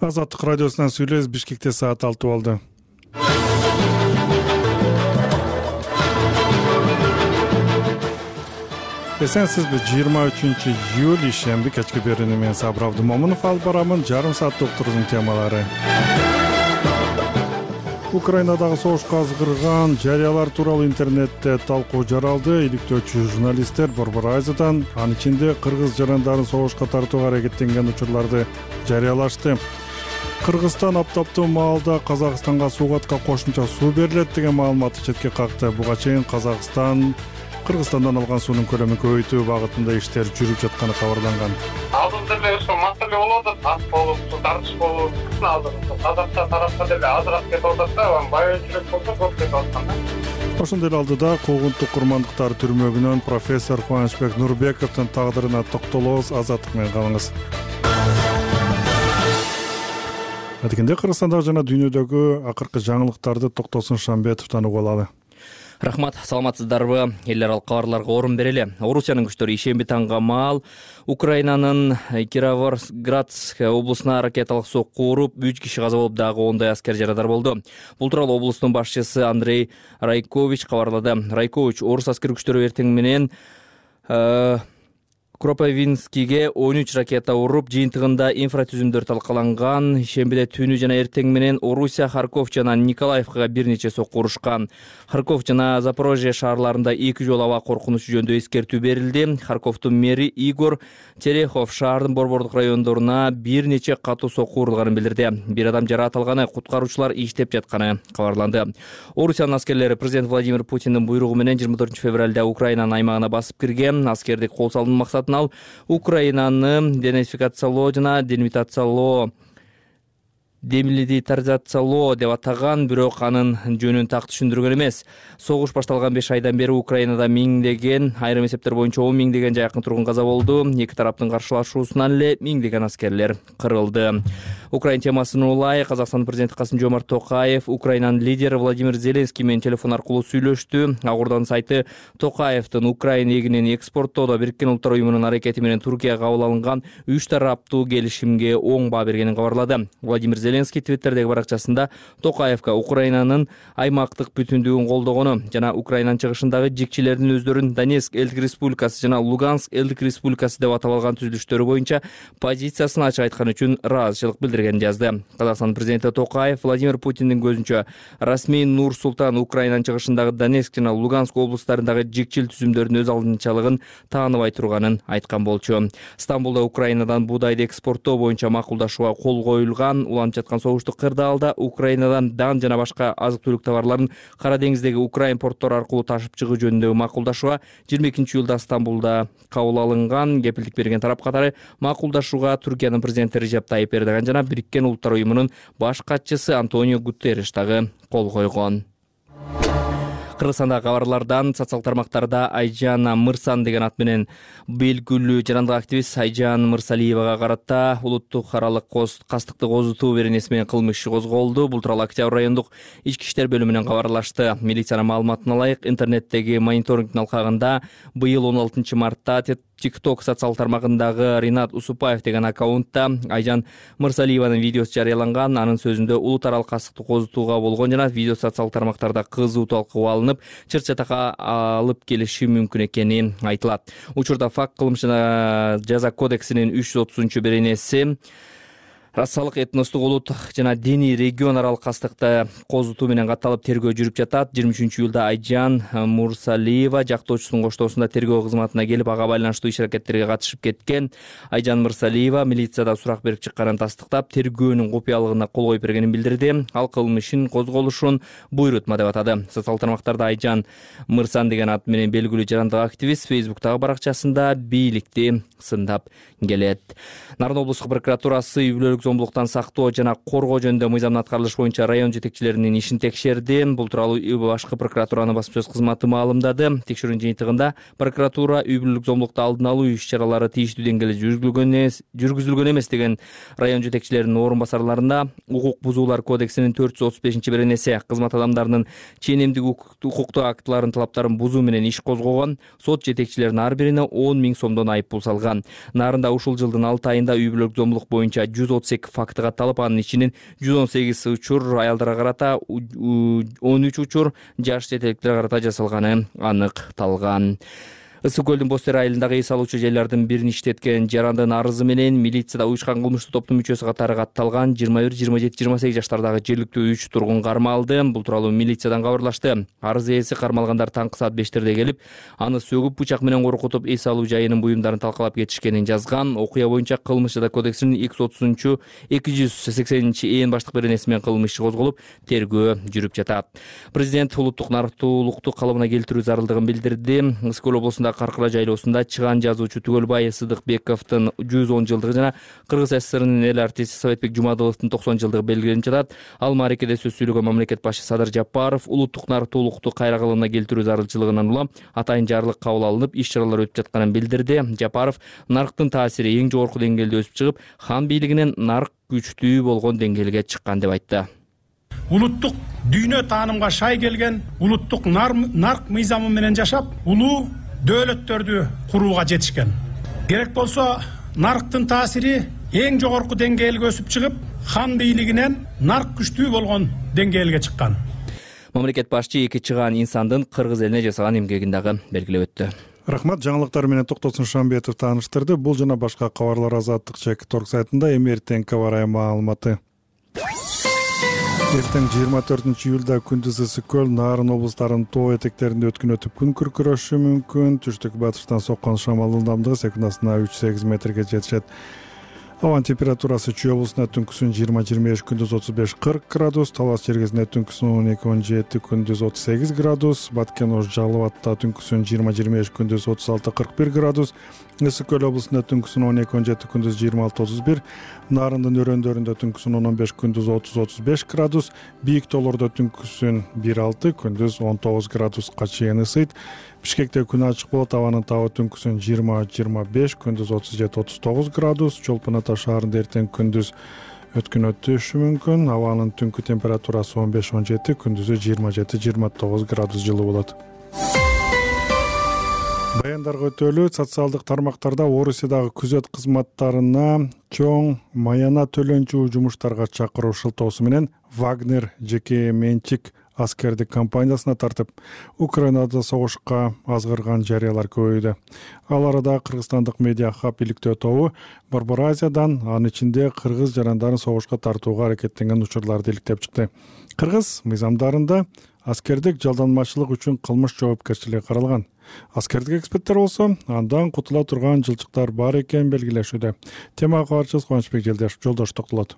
Азаттык радиосунан сүйлөйбүз. Бишкекте саат 6 болду. Эсенсизби? 23-июль ишемби кечки берүүнү мен Сабыр Абдымомунов алып барамын. Жарым сааттык уктуруунун темалары. Украинадагы согушка азгырган жарыялар тууралуу интернетте талкуу жаралды. Иликтөөчү журналисттер Борбор Айзадан анын ичинде кыргыз жарандарын согушка тартууга аракеттенген учурларды жарыялашты. Кыргызстан аптаптуу маалда Казакстанга суугатка кошумча суу берилет деген маалыматты четке какты. Буга чейин Казакстан Кыргызстандан алган суунун көлөмүн көбөйтүү багытында иштер жүрүп жатканы кабарланган. Алдыда деле ошо маселе болуп атат, ат болуп, суу тартыш болуп, Казакстан тарапка деле азыраак кетип атат да, байочулук болсо көп кетип аткан да. Ошондой эле алдыда куугунтук курмандыктар түрмөгүнөн профессор Кубанычбек Нурбековдун тагдырына токтолобуз. Азаттык менен калыңыз. Адегенде Кыргызстандагы жана дүйнөдөгү акыркы жаңылыктарды Токтосун Шамбетовдон угуп алалы. Рахмат, саламатсыздарбы? Эл аралык кабарларга орун берели. Орусиянын күчтөрү ишемби таңга маал Украинанын Кировоградск облусуна ракеталык сокку уруп, 3 киши каза болуп, дагы 10 аскер жарадар болду. Бул тууралуу облустун башчысы Андрей Райкович кабарлады. Райкович орус аскер күчтөрү эртең менен Кропивницкиге 13 ракета уруп, жыйынтыгында инфратүзүмдөр талкаланган. Ишембиде түнү жана эртең менен Орусия, Харьков жана Николаевкага бир нече сокку урушкан. Харьков жана Запорожье шаарларында 2 жолу аба коркунучу жөнүндө эскертүү берилди. Харьковдун мэри Игорь Терехов шаардын борбордук райондоруна бир нече катуу сокку урулганын билдирди. Бир адам жаракат алганы, куткаруучулар иштеп жатканы кабарланды. Орусиянын аскерлери президент Владимир Путиндин буйругу менен 24 февралда Украинанын аймагына басып кирген. Аскердик кол салуунун максатын ал Украинаны демилитаризациялоо деп атаган, бирок анын жөнүн так түшүндүргөн эмес. Согуш башталган 5 айдан бери Украинада миңдеген, айрым эсептер боюнча 10 миңдеген жакын тургун каза болду. Эки тараптын каршылашуусунан эле миңдеген аскерлер кырылды. Украин темасына улай Казакстан президенти Касым-Жомарт Токаев Украинанын лидери Владимир Зеленский менен телефон аркылуу сүйлөштү. Акордонун сайты Токаевдин Украина эгинин экспорттоодо Бириккен Улуттар уюмунун аракети менен Туркия кабыл алынган 3 тараптуу келишимге оң баа бергенин кабарлады. Владимир Зеленский Твиттердеги баракчасында Токаевка Украинанын аймактык бүтүндүгүн колдогону жана Украинанын чыгышындагы жикчилердин өздөрүн Донецк элдик республикасы жана Луганск элдик республикасы деп атап алган түзүлүштөрү боюнча позициясын ачык айткан үчүн ыраазычылык билдиргенин жазды. Казакстан президенти Токаев Владимир Путиндин көзүнчө расмий Нур-Султан Украинанын чыгышындагы Донецк жана Луганск облустарындагы жикчил түзүмдөрдүн өз алдынчалыгын тааныбай турганын айткан болчу. Стамбулда Украинадан буудайды экспорттоо боюнча макулдашууга кол коюлган. Уланып жаткан согуштук кырдаалда Украинадан дан жана башка азык-түлүк товарларын Кара деңиздеги Украин порттору аркылуу ташып чыгуу жөнүндөгү макулдашууга 22-июлда Стамбулда кабыл алынган. Кепилдик берген тарап катары макулдашууга Түркиянын президенти Режеп Тайип Эрдоган жана Бириккен Улуттар уюмунун баш катчысы Антонио Гутерриш дагы кол койгон. Кыргызстандагы кабарлардан социалдык тармактарда Айжан Мырсан деген ат менен белгилүү жарандык активист Айжан Мырсалиевага карата улуттук аралык кастыкты козутуу беренеси менен кылмыш иши козголду. Бул тууралуу Октябрь райондук ички иштер бөлүмүнөн кабарлашты. Милициянын маалыматына ылайык, интернеттеги мониторингдин алкагында быйыл 16 мартта TikTok социалдык тармагындагы Ринат Усупаев деген аккаунтта Айжан Мырсалиеванын видеосу жарыяланган. Анын сөзүндө улут аралык кастыкты козутууга болгон жана видео социалдык тармактарда кызуу талкууга алынып, чыр-чатакка алып келиши мүмкүн экени айтылат. Учурда факт кылмыш жана жаза кодексинин 330 беренеси Рассалык, этностук, улуттук жана диний регион аралык кастыкты козутуу менен катталып тергөө жүрүп жатат. 23-июлда Айжан Мырсалиева жактоочусунун коштоосунда тергөө кызматына келип, ага байланыштуу иш-аракеттерге катышып кеткен. Айжан Мырсалиева милицияда сурак берип чыкканын тастыктап, тергөөнүн купуялыгына кол коюп бергенин билдирди. Ал кылмыштын козголушун буйрутма деп атады. Социалдык тармактарда Айжан Мырсан деген ат менен белгилүү жарандык активист Facebook'тагы баракчасында бийликти сындап келет. Нарын облустук прокуратурасы үй-бүлөлүк зомбулуктан сактоо жана коргоо жөнүндө мыйзамдын аткарылышы боюнча район жетекчилеринин ишин текшерди. Бул тууралуу башкы прокуратуранын басма сөз кызматы маалымдады. Текшерүүнүн жыйынтыгында прокуратура үй-бүлөлүк зомбулукту алдын алуу иш-чаралары тийиштүү деңгээлде жүргүзүлгөн эмес деген район жетекчилеринин орун басарларына укук бузуулар кодексинин 435 беренеси кызмат адамдарынын ченемдик укуктуу актыларын талаптарын бузуу менен иш козгогон. Сот жетекчилеринин ар бирине 10 000 сомдон айып пул салган. Нарында ушул жылдын 6 айында үй-бүлөлүк зомбулук боюнча 138 18 факты катталып, анын ичинен 118 учур аялдарга карата, 13 учур жаш четеликтерге карата жасалганы аныкталган. Ысык көлдүн Бостер айылындагы эс алуучу жайлардын бирин иштеткен жарандын арызы менен милицияда уюшкан кылмыштуу топтун мүчөсү катары катталган 21, 27, 28 жаштардагы жергиликтүү 3 тургун кармалды. Бул тууралуу милициядан кабарлашты. Арыз ээси кармалгандар таңкы саат 5терде келип, аны сөгүп, бычак менен коркутуп, эс алуу жайынын буюмдарын талкалап кетишкенин жазган. Окуя боюнча Кылмыш жада кодексинин 230-280 баштык беренеси менен кылмыш иши козголуп, тергөө жүрүп жатат. Президент улуттук нарктуулукту калыбына келтирүү зарылдыгын билдирди. Ысык көл облусунда Каркыра жайлоосунда чыган жазуучу Түгөлбай Сыдыкбековдун 110 жылдыгы жана Кыргыз ССРнын эл артисти Советбек Жумадыловдун 90 жылдыгы белгиленип жатат. Ал мааракеде сөз сүйлөгөн мамлекет башчы Садыр Жапаров улуттук нарктуулукту кайра калыбына келтирүү зарылчылыгынан улам атайын жарлык кабыл алынып, иш-чаралар өтүп жатканын билдирди. Жапаров нарктын таасири эң жогорку деңгээлде өсүп чыгып, хан бийлигинен нарк күчтүү болгон деңгээлге чыккан деп айтты. Улуттук дүйнө таанымга шай келген, улуттук нарк мыйзамы менен жашап, улуу дөөлөттөрдү курууга жетишкен. Керек болсо нарктын таасири эң жогорку деңгээлге өсүп чыгып, хан бийлигинен нарк күчтүү болгон деңгээлге чыккан. Мамлекет башчы эки чыган инсандын Кыргыз элине жасаган эмгегин дагы белгилеп өттү. Рахмат, жаңылыктар менен Токтосун Шамбетов тааныштырды. Бул жана башка кабарлар Азаттык /Торг сайтында эртең барай маалыматы. Эртең 24-июлда күндүз ысык көл, Нарын облустарынын тоо этектеринде өткүнөтүп күн күркүрөшү мүмкүн. Түштүк батыштан соккон шамал ылдамдыгы секундасына 3-8 метрге жетишет. Абанын температурасы Чүй облусунда түнкүсүн 20-25, күндүз 35-40 градус, Талас чергесинде түнкүсүн 12-17, күндүз 38 градус, Баткен Ош Жалал Абадта түнкүсүн 20-25, күндүз 36-41 градус, Ысык көл облусунда түнкүсүн 12-17, күндүз 26-31, Нарындын өрөөндөрүндө түнкүсүн 15, күндүз 30-35 градус, Бийик тоолордо түнкүсүн 1-6, күндүз 19 градуска чейин ысыйт. Бишкекте күн ачык болот, абанын табы түнкүсүн 20-25, күндүз 37-39 градус, Чолпон Ата шаарында эртең күндүз өткүнөтүшү мүмкүн, абанын түнкү температурасы 15-17, күндүзү 27-29 градус жылы болот. Баяндарга өтөлүү, социалдык тармактарда Орусиядагы күзөт кызматтарына чоң маяна төлөнчү жумуштарга чакыруу шылтоосу менен Вагнер жеке менчик аскердик компаниясына тартып, Украинада согушка азгырган жарыялар көбөйдү. Ал арада кыргызстандык медиа хаб иликтөө тобу Борбор Азиядан, анын ичинде кыргыз жарандарын согушка тартууга аракеттенген учурларды иликтеп чыкты. Кыргыз мыйзамдарында аскердик жалданмачылык үчүн кылмыш жоопкерчилиги каралган. Аскердик эксперттер болсо андан кутула турган жылчыктар бар экенин белгилешүүдө. Темага кабарчыбыз Кубанычбек Жолдош токтолот.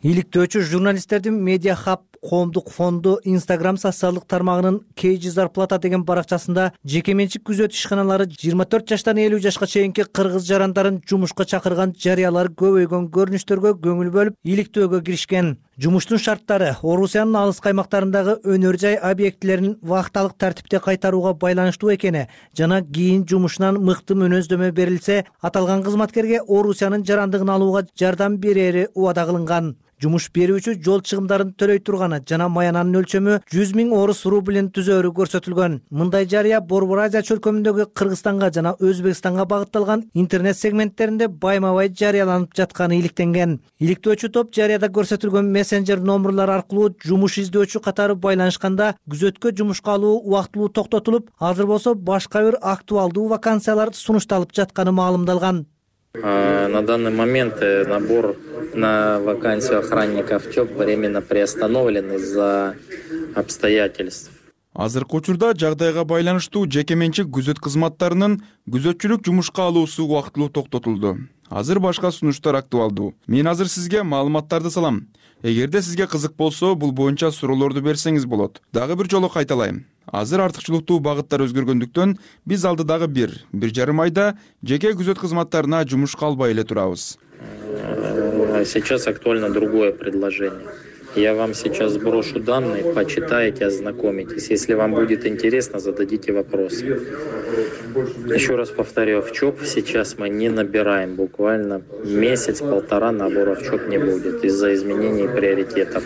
Иликтөөчү журналисттердин Медиа Хаб коомдук фонду Instagram социалдык тармагынын KG Зарплата деген баракчасында жеке менчик күзөт ишканалары 24 жаштан 50 жашка чейинки кыргыз жарандарын жумушка чакырган жарыялар көбөйгөн көрүнүштөргө көңүл бөлүп иликтөөгө киришкен. Жумуштун шарттары Орусиянын алыс каймактарындагы өнөр жай объектилерин вакталык тартипте кайтарууга байланыштуу экени жана кийин жумушунан мыкты мүнөздөмө берилсе, аталган кызматкерге Орусиянын жарандыгын алууга жардам берери убада кылынган. Жумуш берүүчү жол чыгымдарын төлөй турганы жана маянанын өлчөмү 100 000 орус рублин түзөөрү көрсөтүлгөн. Мындай жарыя Борбор Азия чөлкөмүндөгү Кыргызстанга жана Өзбекстанга багытталган интернет сегменттеринде байма-бай жарыяланып жатканы иликтенген. Иликтөөчү топ жарыяда көрсөтүлгөн мессенджер номурлар аркылуу жумуш издөөчү катары байланышканда күзөткө жумушка алуу убактылуу токтотулуп, азыр болсо башка бир актуалдуу вакансиялар сунушталып жатканы маалымдалган. На данный момент набор на вакансию охранников ЧОП временно приостановлен из-за обстоятельств. Азыркы учурда жагдайга байланыштуу жеке менчик күзөт кызматтарынын күзөтчүлүк жумушка алуусу убактылуу токтотулду. Азыр башка сунуштар актуалдуу. Мен азыр сизге маалыматтарды салам. Эгерде сизге кызык болсо, бул боюнча суроолорду берсеңиз болот. Дагы бир жолу кайталайм. Азыр артыкчылыктуу багыттар өзгөргөндүктөн биз алдыдагы 1-1,5 айда жеке күзөт кызматтарына жумушка албай эле турабыз. Сейчас актуально другое предложение. Я вам сейчас сброшу данные, почитайте, ознакомитесь. Если вам будет интересно, зададите вопросы. Еще раз повторю, в ЧОП сейчас мы не набираем. Буквально месяц-полтора набора в ЧОП не будет из-за изменений приоритетов.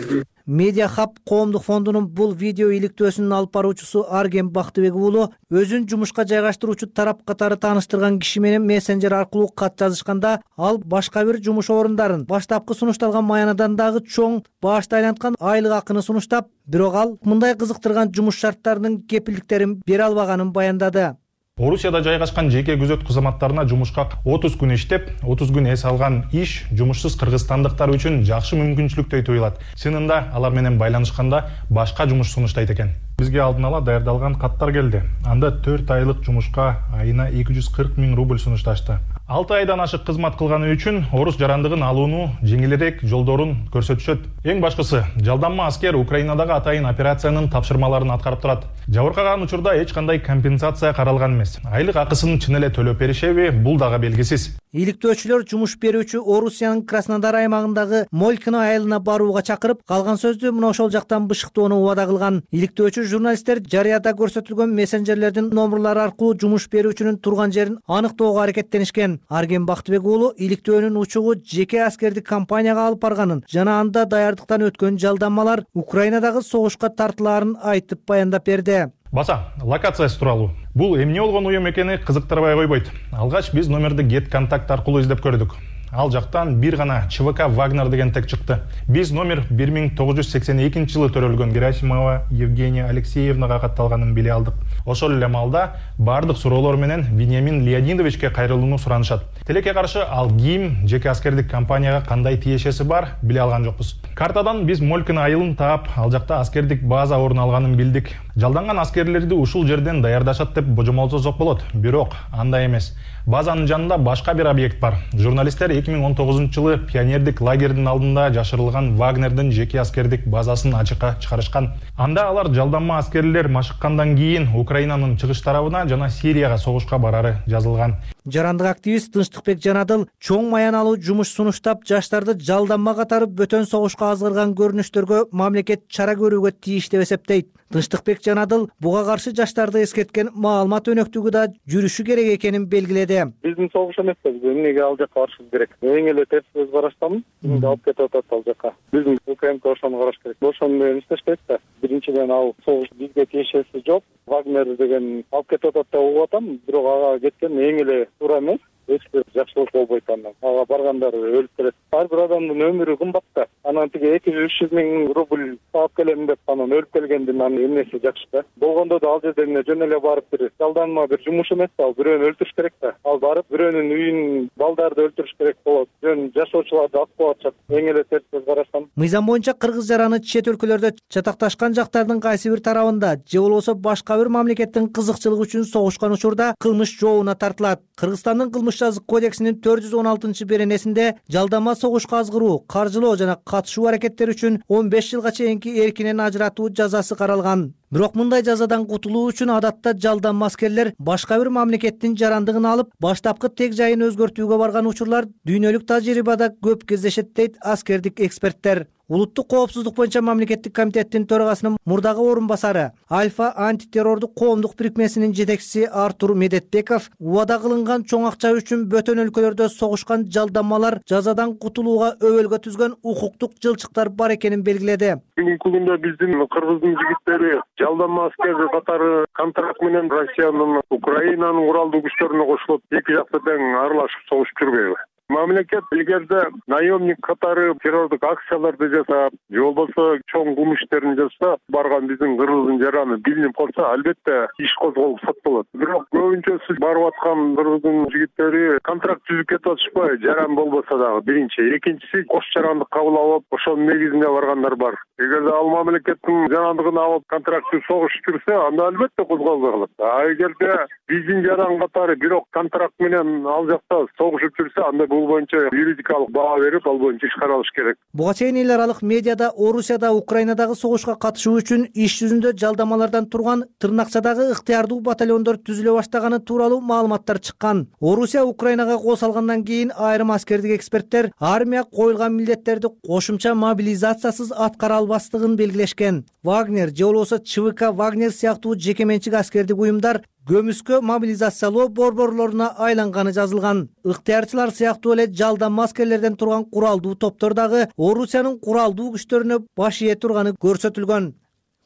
Media Hub коомдук фондунун бул видео иликтөөсүнүн алып баруучусу Арген Бактыбек уулу өзүн жумушка жайгаштыруучу тарап катары тааныштырган киши менен мессенджер аркылуу кат жазышканда ал башка бир жумуш орундарын баштапкы сунушталган маянадан дагы чоң баашты айланткан айлык акыны сунуштап, бирок ал мындай кызыктырган жумуш шарттарынын кепилдиктерин бере албаганын баяндады. Орусияда жайгашкан жеке күзөт кызматтарына жумушка 30 күн иштеп, 30 күн эс алган иш жумушсуз кыргызстандыктар үчүн жакшы мүмкүнчүлүктөй туюлат. Чынында алар менен байланышканда башка жумуш сунуштайт экен. Бизге алдын ала даярдалган каттар келди. Анда 4 айлык жумушка айына 240 000 рубль сунушташты. 6 айдан ашык кызмат кылганы үчүн орус жарандыгын алуунун жеңилирээк жолдорун көрсөтүшөт. Эң башкысы, жалданма аскер Украинадагы атайын операциянын тапшырмаларын аткарып турат. Жабыркаган учурда эч кандай компенсация каралган эмес. Айлык акысын чын эле төлөп беришеби, бул дагы белгисиз. Иликтөөчүлөр жумуш берүүчү Орусиянын Краснодар аймагындагы Молькино айылына барууга чакырып, калган сөздү мына ошол жактан бышыктоону убада кылган. Иликтөөчү журналисттер жарыяда көрсөтүлгөн мессенджерлердин номерлары аркылуу жумуш берүүчүнүн турган жерин аныктоого аракеттенишкен. Арген Бактыбек уулу иликтөөнүн учугу жеке аскердик компанияга алып барганын жана анда даярдыктан өткөн жалданмалар Украинадагы согушка тартылаарын айтып баяндап берди. Баса, локациясы тууралуу. Бул эмне болгон уюм экени кызыктырбай койбойт. Алгач биз номерди GetContact аркылуу издеп көрдүк. Ал жактан бир гана ЧВК Вагнер деген тег чыкты. Биз номер 1982-жылы төрөлгөн Герасимова Евгения Алексеевнага катталганын биле алдык. Ошол эле маалда бардык суроолор менен Вениамин Леонидовичке кайрылууну суранышат. Тилекке каршы ал ким, жеке аскердик компанияга кандай тиешеси бар, биле алган жокпуз. Картадан биз Молькино айылын таап, ал жакта аскердик база орун алганын билдик. Жалданган аскерлерди ушул жерден даярдашат деп божомолсозок болот. Бирок андай эмес. Базанын жанында башка бир объект бар. Журналисттер 2019-жылы пионердик лагердин алдында жашырылган Вагнердин жеке аскердик базасын ачыкка чыгарышкан. Анда алар жалданма аскерлер машыккандан кийин Украинанын чыгыш тарабына жана Сирияга согушка барары жазылган. Жарандык активист Тынчтыкбек Жанадыл чоң маяналуу жумуш сунуштап, жаштарды жалданма катары бөтөн согушка азгырган көрүнүштөргө мамлекет чара көрүүгө тийиш деп эсептейт. Тынчтыкбек Жанадыл буга каршы жаштарды эскерткен маалымат өнөктүгү да жүрүшү керек экенин белгиледи. Биздин согуш эмес, эмнеге ал жакка барышыбыз керек? Эң эле терс көз караштамын. Эмне алып кетип атат ал жакка? Биздин УКМК ошону караш керек. Ошону менен иштешпейт да. Биринчиден ал согуш бизге тиешеси жок. Вагнер деген алып кетип атат деп угуп атам, бирок ага кеткен эң эле туура эмес. Эч бир жакшылык болбойт андан. Ага баргандар өлүп келет. Ар бир адамдын өмүрү кымбат да. Анан тиги 200-300 000 рубль алып келем деп анан өлүп келгендин анын эмнеси жакшы да. Болгондо да ал жерден жөн эле барып бир жалданма бир жумуш эмес да, ал бирөөнү өлтүрүш керек да. Ал барып бирөөнүн үйүн, балдарды өлтүрүш керек болот. Жөн жашоочуларды атып атышат. Эң эле терс көз караштан. Мыйзам боюнча кыргыз жараны чет өлкөлөрдө чатакташкан жактардын кайсы бир тарабында же болбосо башка бир мамлекеттин кызыкчылыгы үчүн согушкан учурда кылмыш жообуна тартылат. Кыргызстандын кылмыш жазык кодексинин 416-беренесинде жалданма согушка азгыруу, каржылоо жана катышуу аракеттери үчүн 15 жылга чейинки эркинен ажыратуу жазасы каралган. Бирок мындай жазадан кутулуу үчүн адатта жалданма аскерлер башка бир мамлекеттин жарандыгын алып, баштапкы тег жайын өзгөртүүгө барган учурлар дүйнөлүк тажрыйбада көп кездешет дейт аскердик эксперттер. Улуттук коопсуздук боюнча мамлекеттик комитеттин төрагасынын мурдагы орун басары, Альфа антитеррордук коомдук бирикмесинин жетекчиси Артур Медетбеков убада кылынган чоң акча үчүн бөтөн өлкөлөрдө согушкан жалданмалар жазадан кутулууга өбөлгө түзгөн укуктук жылчыктар бар экенин белгиледи. Бүгүнкү күндө биздин кыргыздын жигиттери жалданма аскер катары контракт менен Россиянын, Украинанын куралдуу күчтөрүнө кошулуп, эки жакта тең аралашып согушуп жүрбөйбү? Мамлекет илгерде наемник катары террордук акцияларды жасап, же болбосо чоң кылмыш иштерин жасаса, барган биздин кыргыздын жараны билинип калса, албетте иш козголуп соттолот. Бирок көбүнчөсү барып аткан кыргыздын жигиттери контракт түзүп кетип атышпайбы? Жаран болбосо дагы биринчи, экинчиси кош жарандык кабыл алып, ошонун негизинде баргандар бар. Эгерде ал мамлекеттин жарандыгын алып контрактты согушуп жүрсө, анда албетте козголбой калат. А эгерде биздин жаран катары бирок контракт менен ал жакта согушуп жүрсө, анда бул боюнча юридикалык баа берип, ал боюнча иш каралыш керек. Буга чейин эл аралык медиада Орусияда Украинадагы согушка катышуу үчүн иш жүзүндө жалдамалардан турган тырнакчадагы ыктыярдуу батальондор түзүлө баштаганы тууралуу маалыматтар чыккан. Орусия Украинага кол салгандан кийин айрым аскердик эксперттер армия коюлган милдеттерди кошумча мобилизациясыз аткара албастыгын белгилешкен. Вагнер же болбосо ЧВК Вагнер сыяктуу жеке менчик аскердик уюмдар көмүскө мобилизациялоо борборлоруна айланганы жазылган. Ыктыярчылар сыяктуу эле жалдам аскерлерден турган куралдуу топтор дагы Орусиянын куралдуу күчтөрүнө баш ие турганы көрсөтүлгөн.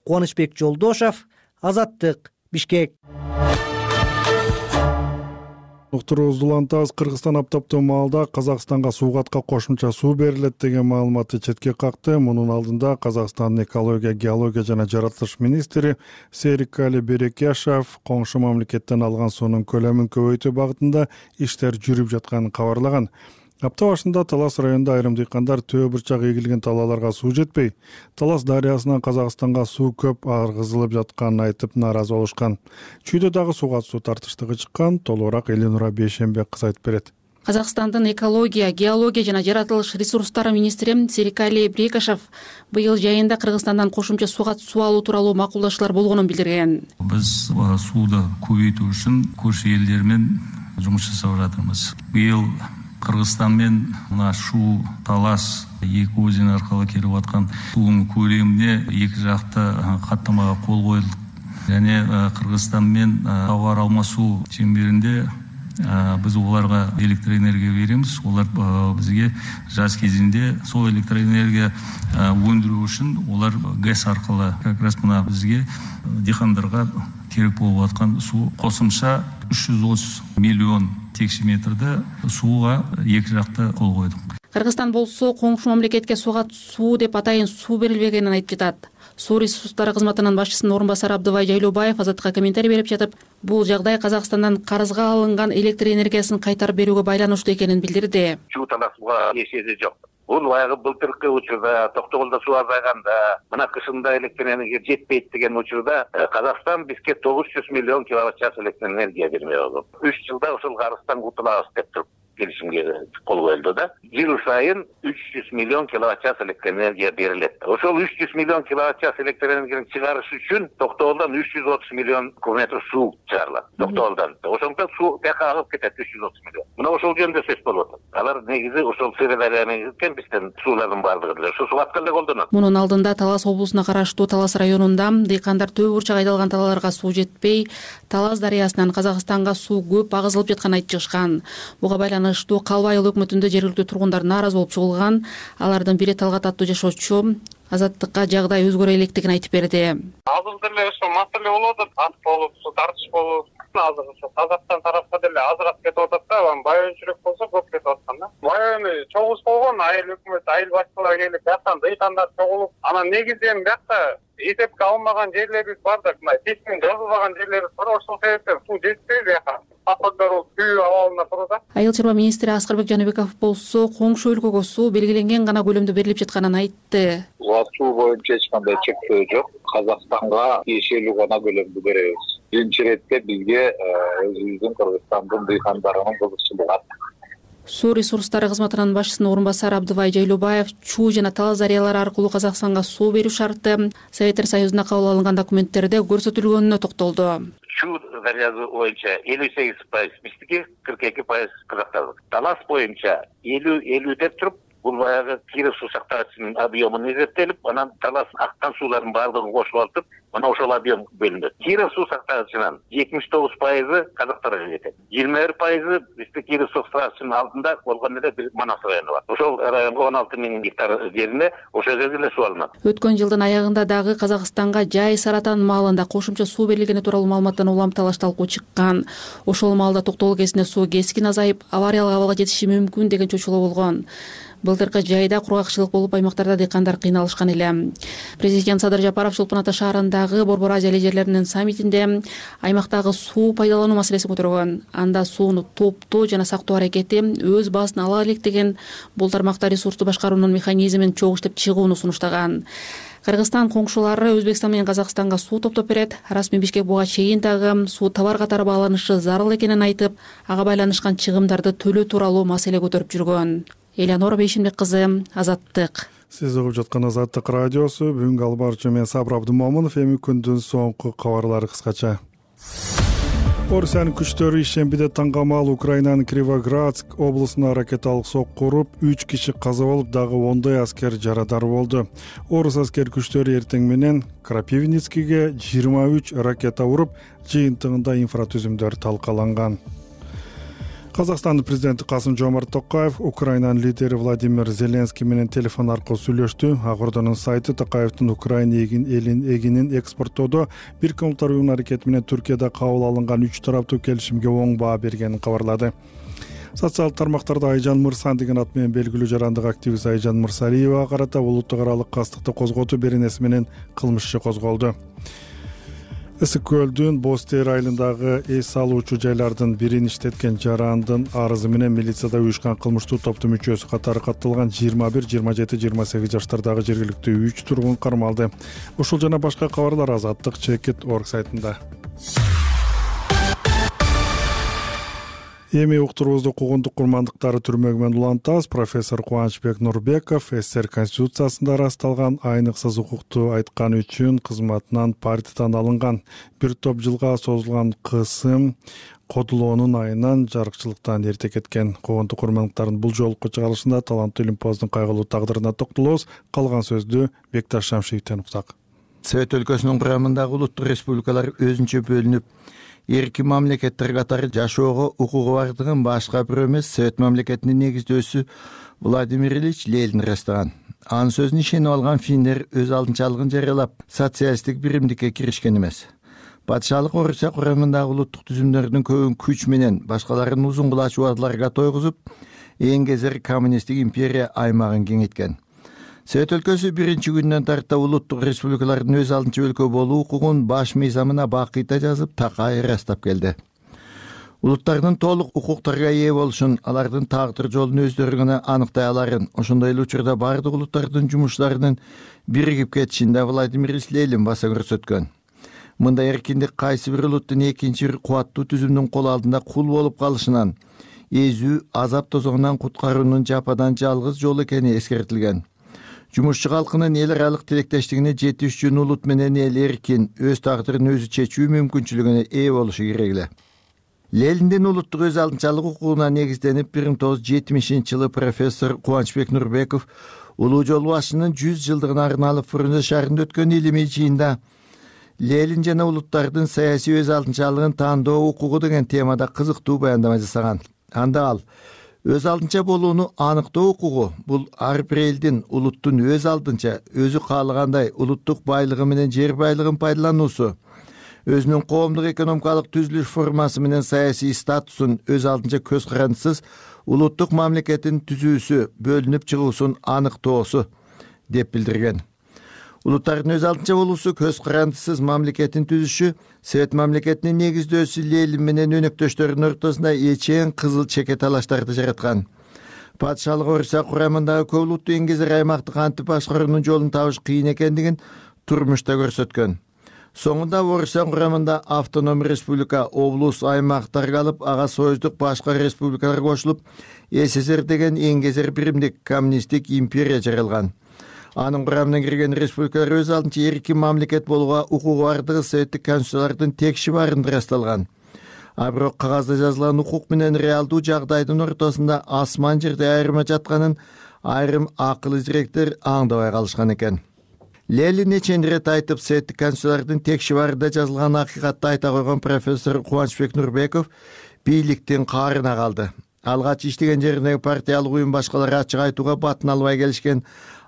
Кубанычбек Жолдошов, Азаттык, Бишкек. Уктуруубузду улантабыз. Кыргызстан аптаптуу маалда Казакстанга суугатка кошумча суу берилет деген маалыматты четке какты. Мунун алдында Казакстандын экология, геология жана жаратылыш министри Серикали Берекяшев коңшу мамлекеттен алган суунун көлөмүн көбөйтүү багытында иштер жүрүп жатканын кабарлаган. Апта башында Талас районунда айрым дыйкандар төө бурчак эгилген талааларга суу жетпей, Талас дарыясынан Казакстанга суу көп аргызылып жатканын айтып нааразы болушкан. Чүйдө дагы сууга суу тартыштыгы чыккан. Толугураак Эленура Бейшенбек кыз айтып берет. Казакстандын экология, геология жана жаратылыш ресурстары министри Серикали Берекяшев быйыл жайында Кыргызстандан кошумча сууга суу алуу тууралуу макулдашуулар болгонун билдирген. Биз сууду көбөйтүү үчүн көршү элдер менен жумуш жасап жатырбыз. Быйыл Кыргызстан менен мына Шу, Талас эки өзен аркылуу келип аткан суунун көлөмүнө эки жакты каттамага кол коюлду. Және Кыргызстан менен товар алмасуу чеңберинде биз оларга электроэнергия беребиз. Олар бизге жаз кезинде сол электроэнергия өндүрүү үчүн олар ГЭС аркылуу как раз мына бизге дыйкандарга керек болуп аткан суу кошумча 330 миллион текше метрде сууга эки жакты кол койдук. Кыргызстан болсо коңшу мамлекетке сууга суу деп атайын суу берилбегенин айтып жатат. Суу ресурстары кызматынын башчысынын орун басары Абдыбай Жайлообаев Азаттыкка комментарий берип жатып, бул жагдай Казакстандан карызга алынган электр энергиясын кайтарып берүүгө байланыштуу экенин билдирди. Чуу таласууга эсеси жок. Бул баягы былтыркы учурда Токтогулда суу азайганда, мына кышында электр энергия жетпейт деген учурда Казакстан бизге 900 миллион киловатт час электр энергия бермей болду. 3 жылда ошол карыздан кутулабыз деп туруп келишимге кол коюлду да. Жыл сайын 300 миллион киловатт час электр энергия берилет. Ошол 300 миллион киловатт час электр энергияны чыгарыш үчүн Токтогулдан 330 миллион кубометр суу чыгарылат. Токтогулдан. Ошондон суу бияка агып кетет 330 миллион. Мына ошол жөнүндө сөз болуп атат. Алар негизи ошол Сырдарияны кеткен бизден суулардын баардыгы деле ошо сууатка эле колдонот. Мунун алдында Талас облусуна караштуу Талас районунда дыйкандар төө бурчак айдалган талааларга суу жетпей, Талас дарыясынан Казакстанга суу көп агызылып жатканын айтып чыгышкан. Буга байланыштуу Калба айыл өкмөтүндө жергиликтүү тургундар нааразы болуп чыгылган. Алардын бири Талгат аттуу жашоочу Азаттыкка жагдай өзгөрө электигин айтып берди. Азыр деле ошо маселе болуп атат, ат болуп, суу тартыш болуп, азыр ошо Казакстан тарапка деле азыраак кетип атат да, байончурак болсо көп кетип аткан да. Байону чогуш болгон, айыл өкмөт, айыл башчылары келип жактан дыйкандар чогулуп, анан негизи эми биякта эсепке алынбаган жерлерибиз бар да, мына кесип жазылбаган жерлерибиз бар, ошол себептен суу жетпей бияка. Айыл чарба министри Аскарбек Жаныбеков болсо коңшу өлкөгө суу белгиленген гана көлөмдө берилип жатканын айтты. Суу боюнча эч кандай чектөө жок. Казакстанга тиешелүү гана көлөмдү беребиз. Биринчи иретте бизге өзүбүздүн Кыргызстандын дыйкандарынын кызыкчылыгы. Суу ресурстары кызматынын башчысынын орун басары Абдыбай Жайлообаев Чуу жана Талас дарыялары аркылуу Казакстанга суу берүү шарты Советтер Союзунда кабыл алынган документтерде көрсөтүлгөнүнө токтолду. Чуу дарыясы боюнча 58%, биздики 42% Казакстандык. Талас боюнча 50 деп туруп, бул баягы Киров суу сактагычынын объемун эсептелип, анан Талас аккан суулардын баардыгын кошуп алып, мына ошол объем бөлүнөт. Киров суу сактагычынын 79% Казактарга жетет. 21% бизде Киров суу сактагычынын алдында болгон эле бир Манас району бар. Ошол районго 16 000 гектар жерине ошол жерде эле суу алынат. Өткөн жылдын аягында дагы Казакстанга жай Саратан маалында кошумча суу берилгени тууралуу маалыматтан улам талаш талкуу чыккан. Ошол маалда Токтогул КЭСине суу кескин азайып, авариялык абалга жетиши мүмкүн деген чочулоо болгон. Былтыркы жайда кургакчылык болуп, аймактарда дыйкандар кыйналышкан эле. Президент Садыр Жапаров Чолпон Ата шаарындагы Борбор Азия лидерлеринин саммитинде аймактагы суу пайдалануу маселесин көтөргөн. Анда сууну топтоо жана сактоо аракети өз баасын ала элек деген бул тармакта ресурсту башкаруунун механизмин чогуу иштеп чыгууну сунуштаган. Кыргызстан коңшулары Өзбекстан менен Казакстанга суу топтоп берет. Расмий Бишкек буга чейин дагы суу товар катары бааланышы зарыл экенин айтып, ага байланышкан чыгымдарды төлөө тууралуу маселе көтөрүп жүргөн. Эленора Бейшенбек кызы, Азаттык. Сиз угуп жаткан Азаттык радиосу. Бүгүнкү алып баруучу мен Сабыр Абдымомунов. Эми күндүн соңку кабарлары кыскача. Орусиянын күчтөрү ишембиде таңгамал Украинанын Кривоградск облусуна ракеталык сокку уруп, 3 киши каза болуп, дагы 10 аскер жарадар болду. Орус аскер күчтөрү эртең менен Крапивницкиге 23 ракета уруп, жыйынтыгында инфратүзүмдөр талкаланган. Казакстандын президенти Касым-Жомарт Токаев Украинанын лидери Владимир Зеленский менен телефон аркылуу сүйлөштү. Акордонун сайты Токаевдин Украина эгинин экспорттоодо Бириккен Улуттар Уюмунун аракети менен Түркияда кабыл алынган 3 тараптуу келишимге оң баа бергенин кабарлады. Социалдык тармактарда Айжан Мырсан деген ат менен белгилүү жарандык активист Айжан Мырсалиевага карата улуттук аралык кастыкты козготуу беренеси менен кылмыш иши козголду. Ысык көлдүн Бостер айылындагы эс алуучу жайлардын бирин иштеткен жарандын арызы менен милицияда уюшкан кылмыштуу топтун мүчөсү катары катталган 21, 27, 28 жаштардагы жергиликтүү 3 тургун кармалды. Ушул жана башка кабарлар Азаттык Чекит.org сайтында. Эми уктуруубузду куугунтук курмандыктары түрмөгү менен улантабыз. Профессор Кубанычбек Нурбеков СССР Конституциясында ырасталган айныксыз укукту айтканы үчүн кызматынан партиядан алынган. Бир топ жылга созулган кысым кодулоонун айынан жарыкчылыктан эрте кеткен. Куугунтук курмандыктардын бул жолку чыгарылышында таланттуу илимпоздун кайгылуу тагдырына токтолобуз. Калган сөздү Бекташ Шамшиевден уктак. Совет өлкөсүнүн курамындагы улуттук республикалар өзүнчө бөлүнүп, эрки мамлекеттер катары жашоого укугу бардыгын башка бирөө эмес Совет мамлекетинин негиздөөсү Владимир Ильич Ленин ырастаган. Анын сөзүнө ишенип алган финндер өз алдынчалыгын жарыялап, социалисттик биримдикке киришкен эмес. Патшалык Орусия курамындагы улуттук түзүмдөрдүн көбүн күч менен башкаларын узун кулач убадаларга тойгузуп, эң кезер коммунисттик империя аймагын кеңейткен. Совет өлкөсү биринчи күндөн тарта улуттук республикалардын өз алдынча өлкө болуу укугун баш мыйзамына бакыйта жазып, такай ырастап келди. Улуттардын толук укуктарга ээ болушун, алардын тагдыр жолун өздөрү гана аныктай аларын, ошондой эле учурда бардык улуттардын жумуштарынын биригип кетишинде Владимир Ильич Ленин баса көрсөткөн. Мындай эркиндик кайсы бир улуттун экинчи бир кубаттуу түзүмдүн кол алдында кул болуп калышынан, эзүү, азап тозоңунан куткаруунун жападан жалгыз жолу экени эскертилген. Жумушчу калкынын эл аралык тилектештигине жетиш үчүн улут менен эл эркин, өз тагдырын өзү чечүү мүмкүнчүлүгүнө ээ болушу керек эле. Лениндин улуттук өз алдынчалык укугуна негизденип 1970-жылы профессор Кубанычбек Нурбеков улуу жол башчынын 100 жылдыгына арналып Фрунзе шаарында өткөн илимий жыйында Ленин жана улуттардын саясий өз алдынчалыгын тандоо укугу деген темада кызыктуу баяндама жасаган. Анда ал өз алдынча болууну аныктоо укугу бул ар бир элдин улуттун өз алдынча өзү каалагандай улуттук байлыгы менен жер байлыгын пайдалануусу, өзүнүн коомдук экономикалык түзүлүш формасы менен саясий статусун өз алдынча көз карандысыз улуттук мамлекеттин түзүүсү, бөлүнүп чыгуусун аныктоосу деп билдирген. Улуттардын өз алдынча болуусу, көз карандысыз мамлекеттин түзүшү Совет мамлекетинин негиздөөсү Ленин менен өнөктөштөрүнүн ортосунда эчең кызыл чеке талаштарды жараткан. Патшалык Орусия курамындагы көп улуттуу эң кезер аймакты кантип башкаруунун жолун табыш кыйын экендигин турмушта көрсөткөн. Соңунда Орусия курамында автоном республика, облус, аймак таркалып, ага союздук башка республикалар кошулуп, СССР деген эң кезер биримдик коммунисттик империя жаралган. Анын курамына кирген республикалар өз алдынча эркин мамлекет болууга укугу бардыгы советтик конституциялардын текши баарында ырасталган. А бирок кагазда жазылган укук менен реалдуу жагдайдын ортосунда асман жерде айырма жатканын айрым акыл изиректер аңдабай калышкан экен. Ленин нечен ирет айтып, советтик конституциялардын текши баарында жазылган акыйкатты айта койгон профессор Кубанычбек Нурбеков бийликтин каарына калды. Алгач иштеген жериндеги партиялык уюм башкалары ачык айтууга батын албай келишкен,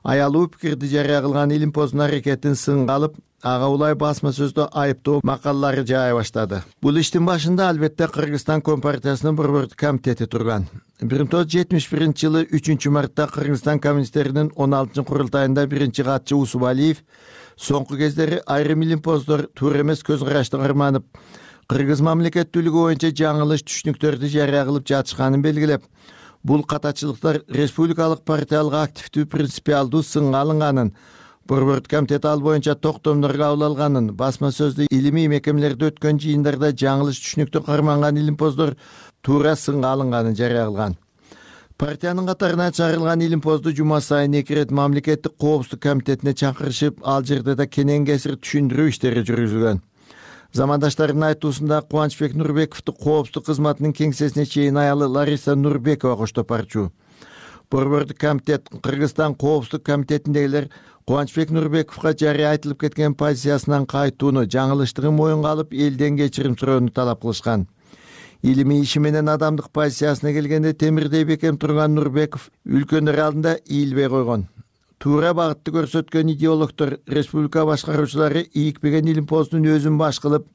аялуу пикирди жарыя кылган илимпоздун аракетин сынга алып, ага улай басма сөздө айыптоо макалалары жаая баштады. Бул иштин башында албетте Кыргызстан Компартиясынын борбордук комитети турган. 1971-жылы 3 мартта Кыргызстан коммунисттеринин 16-курултайында биринчи катчы Усубалиев соңку кездери айрым илимпоздор туура эмес көз карашты карманып, кыргыз мамлекеттүүлүгү боюнча жаңылыш түшүнүктөрдү жарыя кылып жатышканын белгилеп, бул катачылыктар республикалык партиялык активдүү принципиалдуу сынга алынганын, борбордук комитет ал боюнча токтомдор кабыл алганын, басма сөздү илимий мекемелерде өткөн жыйындарда жаңылыш түшүнүктү карманган илимпоздор туура сынга алынганын жарыя кылган. Партиянын катарына чыгарылган илимпозду жума сайын 2 ирет мамлекеттик коопсуздук комитетине чакырышып, ал жерде да кенен кесир түшүндүрүү иштери жүргүзүлгөн. Замандаштарынын айтуусунда Кубанычбек Нурбековду коопсуздук кызматынын кеңсесине чейин аялы Лариса Нурбекова коштоп барчу. Борбордук комитет Кыргызстан коопсуздук комитетиндегилер Кубанычбек Нурбековго жарыя айтылып кеткен позициясынан кайтууну, жаңылыштыгын моюнга алып, элден кечирим суроону талап кылышкан. Илимий иши менен адамдык позициясына келгенде темирдей бекем турган Нурбеков үлкөндөр алдында ийилбей койгон. Туура багытты көрсөткөн идеологдор, республика башкаруучулары ийикпеген илимпоздун өзүн баш кылып,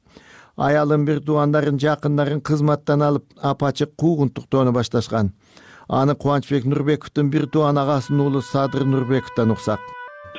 аялын, бир туугандарын, жакындарын кызматтан алып, апачык куугунтуктоону башташкан. Аны Кубанычбек Нурбековдун бир тууган агасынын уулу Садыр Нурбековдон уксак.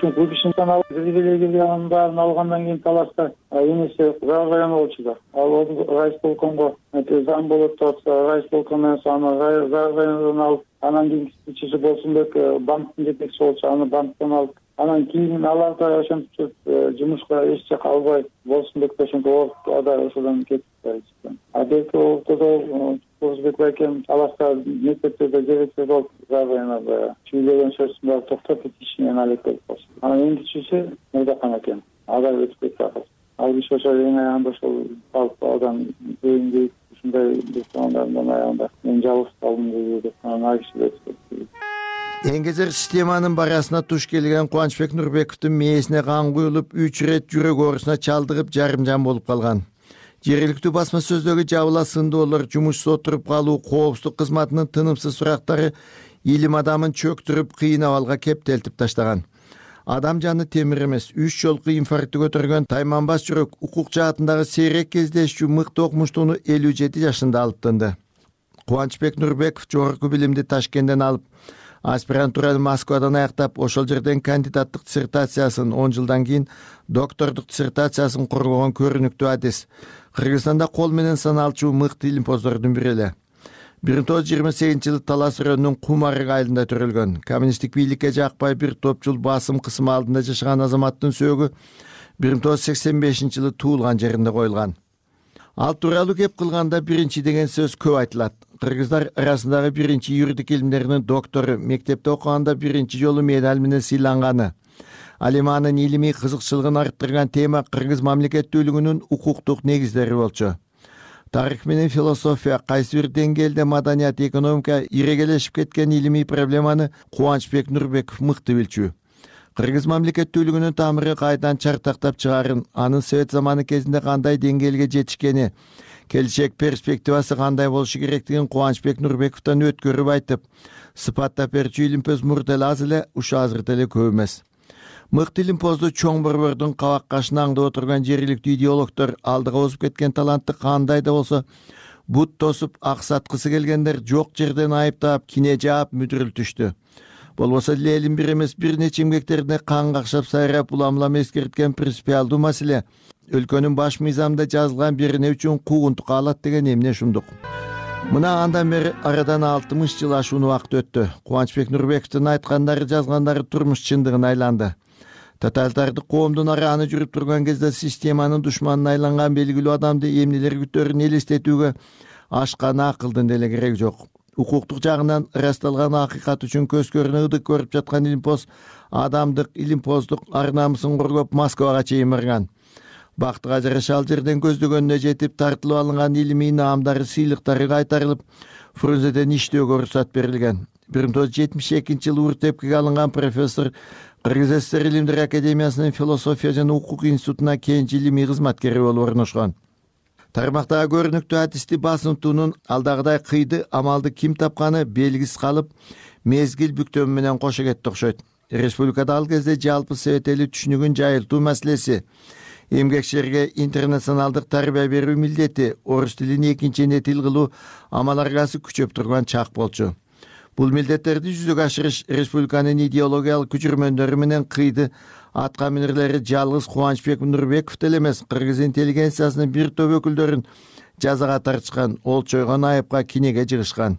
Ушул ишинден алып, анын баарын алгандан кийин талашта энеси район болчу да. Ал райисполкомго зам болуп турса, райисполком менен аны райондон алып, анан кийинки Болсунбек банктын жетекчиси болчу, аны банктан алып, анан кийин алар да ошентип жумушка эч жака албай, Болсунбек ошентип ада ошодон кетип калды. Берки ортодо Болсунбек байкем талашта мектептерде директор болуп, районда чүйлөгөн сөзүн баары токтотуп ишинен алек болуп калды. Анан эң кичүүсү Мырдакан экен. Ада өтүп кетти акыр. Ал киши ошо эң аягында ошол алып адам өйүндө ушундай биртугандарымдын аягында мен жалгыз калдым деп анан ал киши өтүп кетти. Эңгезер системанын барасына туш келген Кубанычбек Нурбековдун мээсине кан куюлуп, 3 ирет жүрөк оорусуна чалдыгып, жарымжан болуп калган. Жергиликтүү басма сөздөгү жабыла сындоолор, жумушсуз отуруп калуу, коопсуздук кызматынын тынымсыз сурактары илим адамын чөктүрүп, кыйын абалга кептелтип таштаган. Адам жаны темир эмес. 3 жолку инфарктты көтөргөн тайманбас жүрөк укук жаатындагы сейрек кездешчү мыкты окумуштууну 57 жашында алып тынды. Кубанычбек Нурбеков жогорку билимди Ташкенттен алып, аспирантураны Москвадан аяктап, ошол жерден кандидаттык диссертациясын, 10 жылдан кийин доктордук диссертациясын коргогон көрүнүктүү адис. Кыргызстанда кол менен саналчу мыкты илимпоздордун бири эле. 1928-жылы Талас районунун Кум арык айылында төрөлгөн. Коммунисттик бийликке жакпай бир топ жыл басым кысым алдында жашаган азаматтын сөөгү 1985-жылы туулган жеринде коюлган. Ал тууралуу кеп кылганда биринчи деген сөз көп айтылат. Кыргыздар арасындагы биринчи юридик илимдеринин доктору, мектепте окуганда биринчи жолу медаль менен сыйланганы. Ал эми анын илимий кызыкчылыгын арттырган тема кыргыз мамлекеттүүлүгүнүн укуктук негиздери болчу. Тарых менен философия, кайсы бир деңгээлде маданият, экономика ирегелешип кеткен илимий проблеманы Кубанычбек Нурбеков мыкты билчү. Кыргыз мамлекеттүүлүгүнүн тамыры кайдан чартактап чыгарын, анын совет заманы кезинде кандай деңгээлге жетишкени, келечек перспективасы кандай болушу керектигин Кубанычбек Нурбековдон өткөрүп айтып, сыпаттап берчү илимпоз мурда аз эле, ушу азыр деле көп эмес. Мыкты илимпозду чоң борбордун кабак кашына аңдып отурган жергиликтүү идеологдор, алдыга озуп кеткен талантты кандай да болсо бут тосуп, ак саткысы келгендер жок жерден айыптап, кине жаап мүдүрүлтүштү. Болбосо элин бир эмес бир нече эмгектерине кан какшап сайрап, улам эскерткен принципиалдуу маселе өлкөнүн баш мыйзамында жазылган берене үчүн куугунтукка алат деген эмне ушундук. Мына андан бери арадан 60 жыл ашуун убакыт өттү. Кубанычбек Нурбековдун айткандары, жазгандары турмуш чындыгына айланды. Тоталитардык коомдун арааны жүрүп турган кезде системанын душманына айланган белгилүү адамды эмнелер күтөрүн элестетүүгө ашкан акылдын деле кереги жок. Укуктук жагынан ырасталган акыйкат үчүн көз көрүнө ыдык көрүп жаткан илимпоз адамдык, илимпоздук ар намысын коргоп Москвага чейин барган. Бактыга жараша ал жерден көздөгөнүнө жетип, тартылып алынган илимий наамдары, сыйлыктары кайтарылып, Фрунзеден иштөөгө уруксат берилген. 1972-жылы Уртепкеге алынган профессор Кыргыз ССР Илимдер академиясынын философия жана укук институтуна кийинчи илимий кызматкери болуп орношкон. Тармактагы көрүнүктүү адисти басымтуунун алдагыдай кыйды амалды ким тапканы белгисиз калып, мезгил бүктөмү менен кошо кетти окшойт. Республикада ал кезде жалпы совет эли түшүнүгүн жайылтуу маселеси, эмгекчилерге интернационалдык тарбия берүү милдети, орус тилин экинчи эне тил кылуу амал аргасы күчөп турган чак болчу. Бул милдеттерди жүзөгө ашырыш республиканын идеологиялык күчүрмөндөрү менен кыйды атка минерлери жалгыз Кубанычбек Нурбеков деле эмес, кыргыз интеллигенциясынын бир топ өкүлдөрүн жазага тартышкан, олчойгон айыпка кинеге жыгышкан.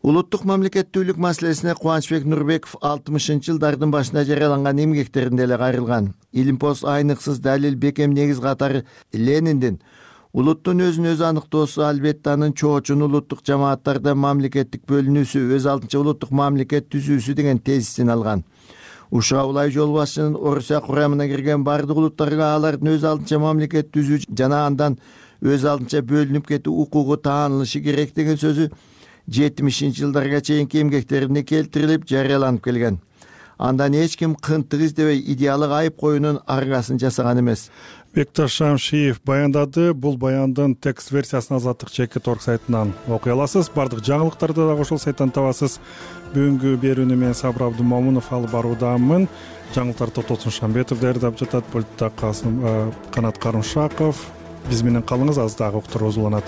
Улуттук мамлекеттүүлүк маселесине Кубанычбек Нурбеков 60-жылдардын башында жарыяланган эмгектеринде эле кайрылган. Илимпоз айныксыз далил, бекем негиз катары Лениндин улуттун өзүн өзү аныктоосу, албетте анын чоочун улуттук жамааттарда мамлекеттик бөлүнүүсү, өз алдынча улуттук мамлекет түзүүсү деген тезисин алган. УША улай жол башчынын Орусия курамына кирген бардык улуттарга алардын өз алдынча мамлекет түзүү жана андан өз алдынча бөлүнүп кетүү укугу таанылышы керек деген сөзү 70-жылдарга чейинки эмгектерине келтирилип жарыяланып келген. Андан эч ким кынтык издебей идеалдык айып коюунун аргасын жасаган эмес. Бекташ Шамшиев баяндады. Бул баяндын текст версиясын Азаттык ЧК.org сайтынан окуй аласыз. Бардык жаңылыктарды дагы ошол сайттан табасыз. Бүгүнкү берүүнү мен Сабыр Абдымомунов алып баруудамын. Жаңылыктарды Токтосун Шамбетов даярдап жатат. Пультта Канат Карымшаков. Биз менен калыңыз, аз дагы уктур уланат.